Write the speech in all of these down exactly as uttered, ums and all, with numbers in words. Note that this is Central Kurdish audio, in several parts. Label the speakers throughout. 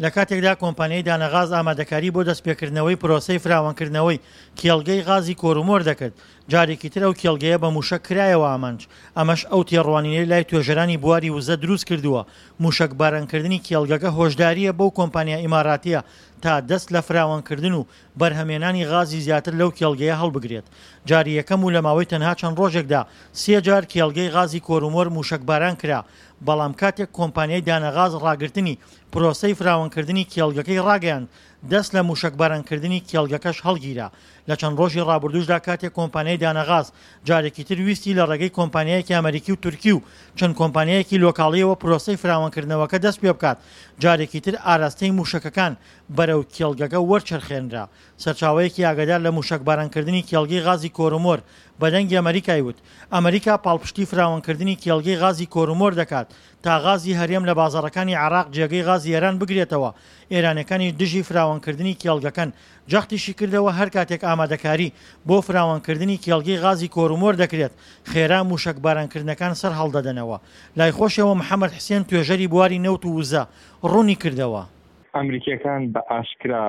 Speaker 1: لە کاتێکدا کۆمپانیای دانەغاز ئامادەکاری بۆ دەستپێکردنەوەی پرۆسەی فراوانکردنەوەی کێڵگەی غازی کۆرومۆر دەکرد، جارێکی تر ئەو کێڵگەیە بە موشەک کرایەوە ئامانج، ئەمەش ئەو تێڕوانینەی لای توێژەرانی بواری وزە دروستکردووە، موشەکبارانکردنی کێڵگەکە هۆشدارییە بەو کۆمپانیا ئیماراتییە تا دەست لە فراوانکردن و بەرهەمێنانی غازی زیاتر لەو کێڵگەیە هەڵبگرێت. جاری یەکەم و لە ماوەی تەنها چەند ڕۆژێکدا سێ جار کێڵگەی غازی کۆرومۆر موشەکباران کرا، بەڵام کاتێک کۆمپانیای دانەغاز ڕاگرتنی پرۆسەی فراوانکردنی کێڵگەکەی ڕاگەیاند، دەست لە موشەکبارانکردنی کێڵگەکەش هەڵگیرا. لە چەند ڕۆژی ڕابردووشدا کاتێک کۆمپانیای دانەغاز جارێکی تر ویستی لە ڕێگەی کۆمپانیایەکی ئەمەریکی و تورکی و چەند کۆمپانیایەکی لۆکاڵییەوە پرۆسەی فراوانکردنەوەکە دەست پێبکات، جارێکی تر ئاراستەی موشەکەکان بەرەو کێڵگەکە وەرچەرخێنرا. سەرچاوەیەکی ئاگادار لە موشەکبارانکردنی کێڵگەی غازی کۆرومۆر بە دەنگی ئەمەریکای وت، ئەمەریکا پاڵپشتی فراوانکردنی کێڵگەی غازی کۆرومۆر دەکات تا غازی هەرێم لە بازاڕەکانی عێراق جێگەی غازی ئێران بگرێتەوە، ئێرانیەکانیش دژی فراوانکردنی کێڵگەکەن. جەختیشی کردەوە هەر کاتێک ئامادەکاری بۆ فراوانکردنی کێڵگەی غازی کۆرومۆر دەکرێت، خێرا موشەکبارانکردنەکان سەرهەڵدەدەنەوە. لای خۆشیەوە محەمەد حسێن توێژەری بواری نەوت و وزە ڕوونی کردەوە،
Speaker 2: ئەمریکیەکان بە ئاشکرا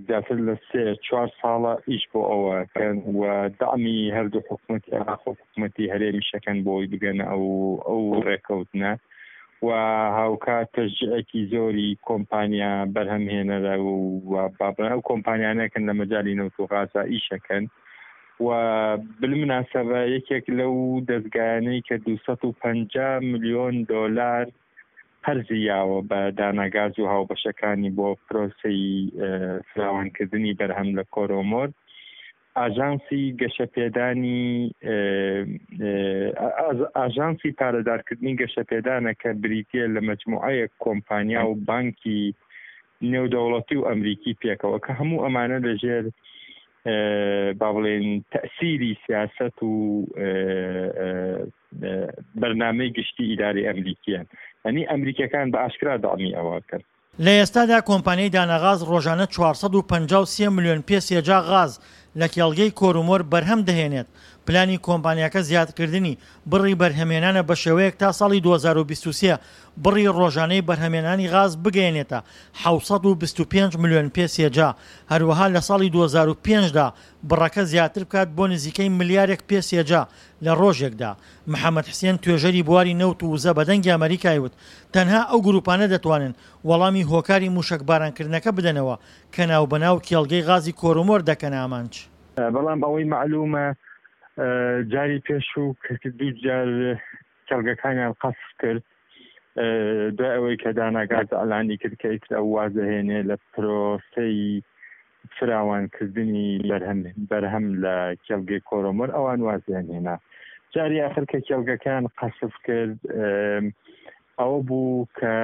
Speaker 2: زیاتر لە سێ چوار ساڵە ئیش بۆ ئەوە کەن و دەعمی هەردوو حکوومەتی عێراق و حکوومەتی هەرێمیشەکەن بۆی بگەنە ئەو ئەو ڕێکەوتنە و هاوکات تەشجیعێکی زۆری کۆمپانیا بەرهەمهێنەرە و بابڵێن ئەو کۆمپانیانەکەن لە مەجالی نەوت و غازا ئیشەکەن. و بالمناسبە یەکێک لەو دەزگایانەی کە دوو سەد و پەنجا ملیۆن دۆلار قەرزی یاوە بە داناگاز و هاوبەشەکانی بۆ پرۆسەی فراوانکردنی بەرهەم لە کۆرۆمۆر، ئاژانسی گەشەپێدانی ئاژانسی پارەدارکردنی گەشەپێدانە کە بریتییە لە مەجموعەیەک کۆمپانیا و بانکی نێودەوڵەتی و ئەمریکی پێکەوە کە هەموو ئەمانە لەژێر با بڵێن تەسیری سیاست و بەرنامەی گشتی ئیداری ئەمریکیان، یعنی ئەمریکیەکان بە ئاشکرا دەعمی ئەوە کەن.
Speaker 1: لە ئێستادا کۆمپانیای دانەغاز ڕۆژانە چوار سەد و پەنجا و سێ ملیۆن پێ سێجا غاز لە کێڵگەی کۆرومۆر بەرهەم دەهێنێت، پلانی کۆمپانیاکە زیادکردنی بڕی بەرهەمێنانە بەشێوەیەک تا ساڵی دوو هەزار و بیست و سێ بڕی ڕۆژانەی بەرهەمێنانی غاز بگەیەنێتە حەوت سەد و بیست و پێنج ملیۆن پێ سێجا، هەروەها لە ساڵی دوو هەزار و پێنج دا بڕەکە زیاتر بکات بۆ نزیکەی ملیارێک پێ سێجا لە ڕۆژێکدا. محەمەد حسێن توێژەری بواری نەوت و وزە بە دەنگی ئەمەریکای وت تەنها ئەو گروپانە دەتوانن وەڵامی هۆکاری موشەکبارانکردنەکە بدەنەوە کە ناوبەناو کێڵگەی غازی کۆرومۆر دەکەنە ئامانج.
Speaker 2: بەڵام ئەوەی مەعلومە جاری پێشوو کە دوو جار کێڵگەکانیان قەسف کرد، دوای ئەوەی کە داناگاز ئەلانی کرد کە ئیتر ئەو وازەهێنێ لە پرۆسەی فراوانکردنی بەرهەم بەرهەم لە کێڵگەی کۆرۆمۆر، ئەوان وازیان هێنا. جاری آخر کە کێڵگەکان قەسف کرد ئەوە بوو کە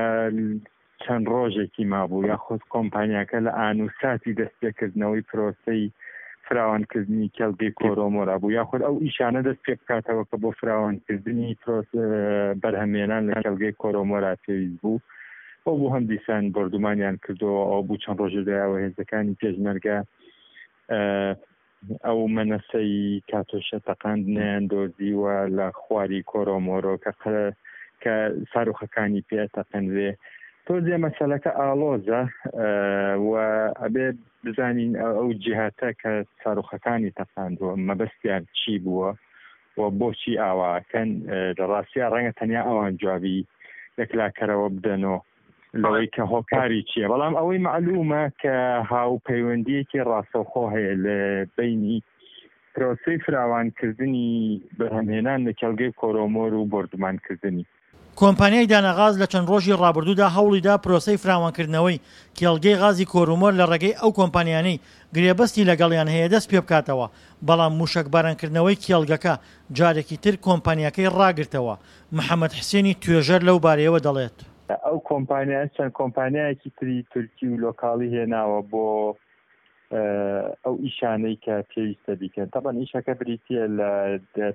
Speaker 2: چەند ڕۆژێکی مابوو یاخود کۆمپانیاکە لە ئان و ساتی دەستپێکردنەوەی پرۆسەی فراوانکردنی کێڵگەی کۆرۆمۆرا بوو، یاخود ئەو ئیشانە دەست پێ بکاتەوە کە بۆ فراوانکردنی بەرهەمێنان لە کێڵگەی کۆرۆمۆرا پێویست بوو. ئەو بوو هەم دیسان بۆردومانیان کردەوە. ئەو بوو چەند ڕۆژێ دوایەوە هێزەکانی پێشمەرگە ئەو مەنەسەی کاتۆشە تەقاندنیان دۆزیوە لە خواری کۆرۆمۆرۆ کە کە ساروخەکانی پێ تەقەنرێ. تۆزێ مەسەلەکە ئاڵۆزە و ئەبێ بزانین ئەو جیهاتە کە ساروخەکانی تەقاندووە مەبەستیان چی بووە و بۆچی ئاواکەن. لە ڕاستیا ڕەنگە تەنیا ئەوان جوابی یەکلاکەرەوە بدەنەوە لەوەی کە هۆکاری چییە، بەڵام ئەوەی مەعلومە کە هاوپەیوەندیەکی ڕاستەوخۆ هەیە لە بینی پرۆسەی فراوانکردنی بەرهەمهێنان لە کێڵگەی کۆرۆمۆر و بۆردومانکردنی.
Speaker 1: کۆمپانیای دانەغاز لە چەند ڕۆژی ڕابردوودا هەوڵیدا پرۆسەی فراوانکردنەوەی کێڵگەی غازی کۆرومۆر لە ڕێگەی ئەو کۆمپانیانەی گرێبەستی لەگەڵیان هەیە دەست پێبکاتەوە، بەڵام موشەکبارانکردنەوەی کێڵگەکە جارێکی تر کۆمپانیاکەی ڕاگرتەوە. محەمەد حسێنی توێژەر لەو بارەیەوە دەڵێت،
Speaker 2: ئەو کۆمپانیا چەند کۆمپانیایەکی تری تورکی و لۆکاڵی هێناوە بۆ ئەو ئیشانەی کە پێویستە بیکەن. تەبەن ئیشەکە بریتییە لە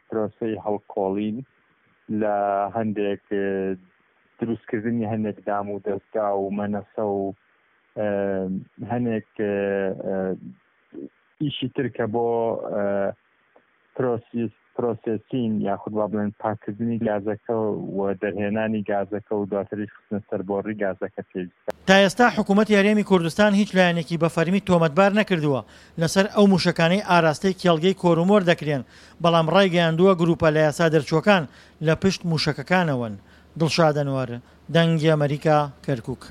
Speaker 2: پرۆسەی هەڵکۆڵین لە هەندێک دروستکردنی هەندێک دام و دەستگا و مەنەسە و هەندێک ئیشی تر کە بۆ processing یاخود با بڵێن پاککردنی گازەکە و دەرهێنانی گازەکە و دواتریش خستنە سەر بۆڕی گازەکە پێویستە.
Speaker 1: تا ئێستا حکوومەتی هەرێمی کوردستان هیچ لایەنێکی بە فەرمی تۆمەتبار نەکردووە لەسەر ئەو مووشەکانەی ئاراستەی کێڵگەی کۆرومۆر دەکرێن، بەڵام ڕایگەیاندووە گرووپە لە یاسا دەرچووەکان لە پشت مووشەکەکانەوەن. دڵشاد ئەنوەر، دەنگی ئەمەریکا، کەرکووک.